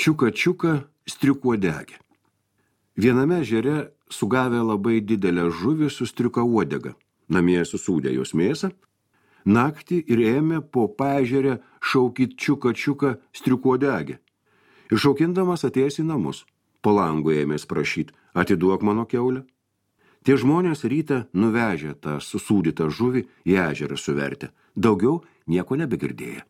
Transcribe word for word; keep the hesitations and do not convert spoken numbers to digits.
Čiuka čiuka striukuodegė. Viename ežere sugavę labai didelę žuvį su striuka uodega. Namie susūdė jos mėsą. Naktį ir ėmė po paežerę šaukyt čiuka čiuka striukuodegė. Ir šaukindamas atėjęs į namus. Po langu ėmės prašyt, atiduok mano kiaulę. Tie žmonės rytą nuvežė tą susūdytą žuvį į ežerą suvertę. Daugiau nieko nebegirdėjo.